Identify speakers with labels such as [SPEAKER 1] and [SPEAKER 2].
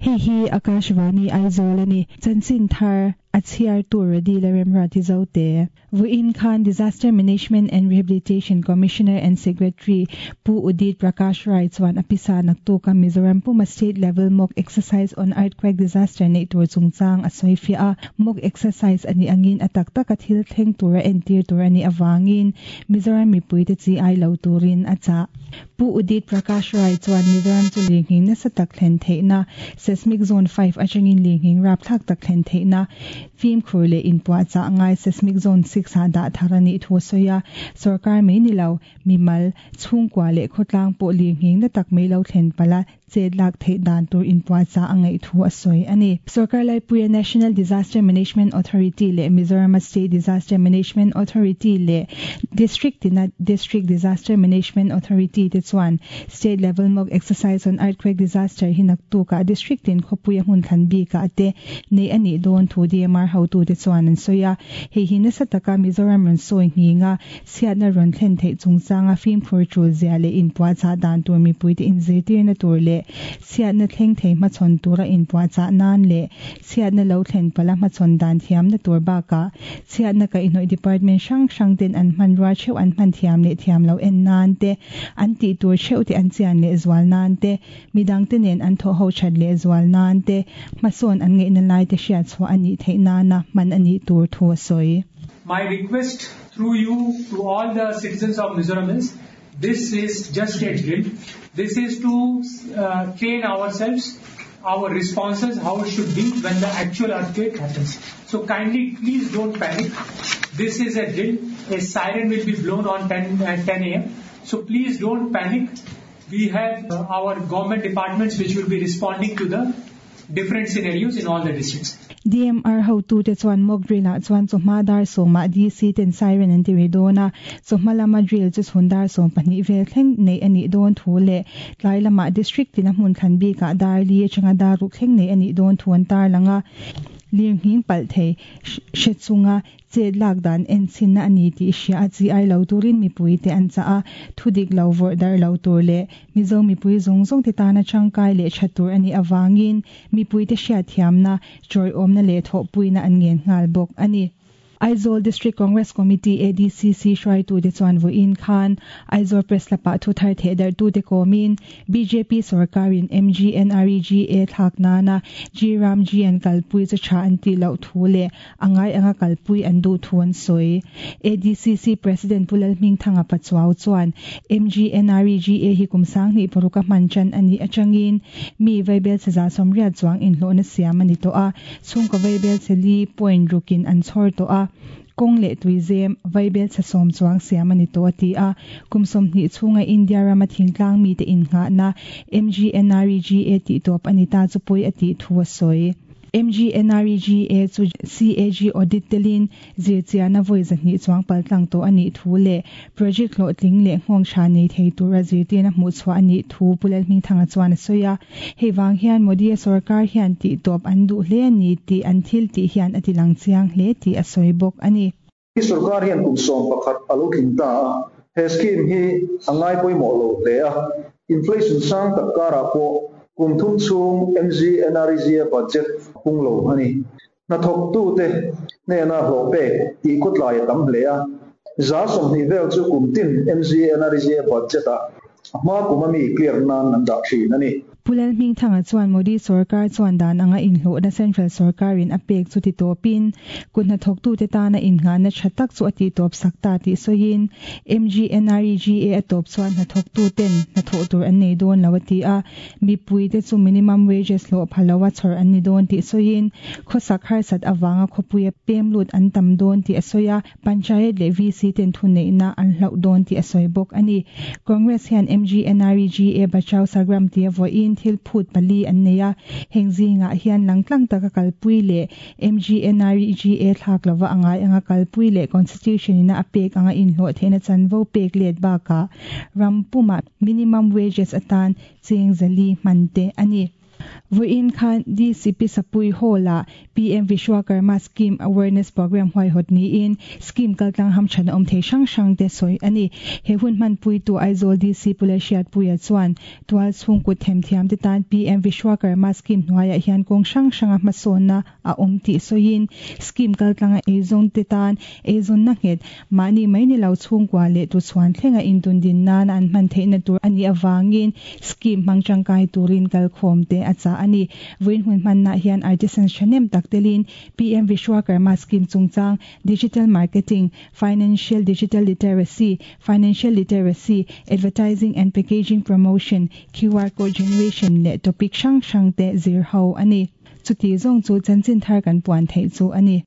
[SPEAKER 1] Hei hi Akashvani Aizawl a ni. Chanchin thar a chhiartu Radila Remruati Zote. Vawiin khan Disaster Management and Rehabilitation Commissioner and Secretary Pu Udit Prakash Rai chuan a pisa naktuka Mizoram puma State Level Mock Exercise on Earthquake Disaster neih tur chungchang a sawi fiah a. Mock exercise a nih angin a tak taka thil thleng tura entir tur a nih avangin Mizoram mipuite chi ai lo turin a chah. Pu Udit Prakash Rai chuan Mizoram chu lirnghing nasa tak thlen theihna, Seismic Zone 5 atangin lirnghing rapthlak tak thlen theihna, fimkhur leh inpuahchah ngai Seismic Zone 6 ah dah thar a nih thu a sawi a. Sorkar mai ni lo, mimal, chhungkua leh khawtlang pawh lirnghing na tak mai lo thlen palh a, chet lak theih dan tur inpuahchah a ngaih thu a sawi a ni. Sorkar laipuia National Disaster Management Authority leh Mizorama State Disaster Management Authority leh District tina District Disaster Management Authority te chuan State Level Mock Exercise on Earthquake Disaster hi naktukah District tin khawpuia hmun thlan bikah te neih a nih dawn thu DMR hotute chuan an sawi a. Hei hi nasa taka Mizoram rawn sawi nghing a, Chhiatna rawn thlen theih chungchanga fimkhur tul zia leh inpuahchah dan tur mipuite inzirtirna tur leh chhiatna thleng thei hmachhawn tura inpuahchah nan leh chhiatna lo thlen palha hmachhawn dan thiamna tur bakah chhiatna kaihhnawih department hrang hrang ten an hmanrua theuh an hman thiam leh thiam loh en nan te, an tih tur theuh te an chian leh zual nan te, midangte nen an thawh ho that leh zual nan te, hmasawn an ngaihna lai te hriatchhuah a nih theih nana hman a nih tur thu a sawi.
[SPEAKER 2] My request through you to all the citizens of Mizoram is, this is just a drill. This is to uh, train ourselves, our responses, how it should be when the actual earthquake happens. So kindly, please don't panic. This is a drill. A siren will be blown on 10, uh, 10 a.m. So please don't panic. We have uh, our government departments which will be responding to the different scenarios in all the districts.
[SPEAKER 1] DMR hotute chuan mock drill ah chuan chawhma dar sawmah DC ten siren an ti ri dawn a, chawhma lama drill chu chhun dar 12 vel thleng neih a nih dawn thu leh tlai lamah district tina hmun thlan bikah dar li atanga dar ruk thleng neih a nih dawn thu an tarlang a. Lirnghing palh thei hre chunga Chet lak dan en chhinna a ni tih hria a chi ai lo turin mipuite an chah a, thu dik lo vawrh darh lo tur leh Mizo mipui zawng zawngte tana tangkai leh tha tur a nih avangin mipuite hriatthiamna, chawiawmna leh thawhpuina an ngen nghal bawk a ni. Aizawl District Congress Committee, ADCC, hruaitute chuan vawiin khan Aizawl Press Club-ah thu thar theh darhtute kawmin bjp sorkarin MGNREGA thlak nana G Ram G an kalpui chu tha an tih loh thu leh a ngai anga kalpui an duh thu an sawi. ADCC President Pu Lalhmingthanga Pachuau chuan MGNREGA hi kum 20 paruka hman tan a nih atangin mi vaibel che za 80 chuang inhlawhna siam a ni tawh a, chhungkaw vaibel che li point rukin an chhawr tawh a, kawng leh tui zem vaibel che 10 chuang siam a ni tawh a ti a. Kum 20 chhunga India rama thingtlang mite innghahna MGNREGA tih tawp a ni ta chu pawi a tih thu a sawi. MGNREGA chu CAG audit telin zirchiahna vawi 200 chuang paltlang tawh a nih thu leh project hlawhtling leh nghawng tha nei thei tura zirtirna hmuh chhuah a nih thu Pu Lalhmingthanga chuan a sawi a. Hei vang hian Modi a sorkar hian tih tawp an duh hle a ni tih an thil tih hian a ti lang chiang hle tih a sawi bawk a ni.
[SPEAKER 3] Hi sorkar hian kum 11 a lo tling ta a, he scheme hi a ngai pawimawh lo hle a, inflation sang tak karah pawh kum thum chhung MGNREGA budget pung lo a ni. Hnathawktute hnena hlawh pek tih khawtlai a tam hle a, 20% vel chu kum tin MGNREGA budget-ah a hma kum a mi clear nan an dah thin a ni.
[SPEAKER 1] Pu Lalhmingthanga chuan Modi sorkar chuan dan anga inhlawhna Central sorkarin a pek chu ti tawpin, kut hnathawktute tana innghahna tha tak chu a tih tawp sak ta tih sawiin, MGNREGA a tawp chuan hnathawktuten hnathawh tur an nei dawn lo a ti a, mipuite chu minimum wages hlawh pha loa chhawr an ni dawn tih sawiin, khawsak harsat avanga khawpuia pem lut an tam dawn tih a sawi a. Panchayat leh VC ten thuneihna an hlauh dawn tih a sawi bawk a ni. Congress hian MGNREGA Bachao Sagram tia vawiin thil phut pali an nei a, heng zingah hian langtlang taka kalpui leh MGNREGA thlak lova a ngai anga kalpui leh Constitution ina a pek anga inhlawh theihna chanvo pek let bakah ram pumah minimum wages atan cheng 400 hman te a ni. Vawiin khan DCP Sapui Hall-ah PM Vishwakarma Scheme Awareness Programme huaihawt niin scheme kaltlang hamthan awm thei hrang hrang te sawi a ni. He hun hmanpuitu Aizawl DC Pu Lalhriatpuia chuan tual chhungkut themthiam te tan PM Vishwakarma Scheme hnuaiah hian kawng hrang hranga hmasawnna a awm tih sawiin scheme kaltlanga eizawn te tan eizawnna nghet mahni mai ni lo chhungkua leh tuchhuan thlenga intundin nana an hman theihna tur a nih avangin scheme hmang tangkai turin kalkhawm te a chah a ni. Vawiin hun hmannaah hian artisans thahnem tak telin PM Vishwakarma Scheme chungchang, Digital Marketing, Financial Digital Literacy, Financial Literacy, Advertising and Packaging Promotion, QR Code Generation leh topic hrang hrang te zir ho a ni. Chuti zawng chu chanchin thar kan puan theih chu a ni.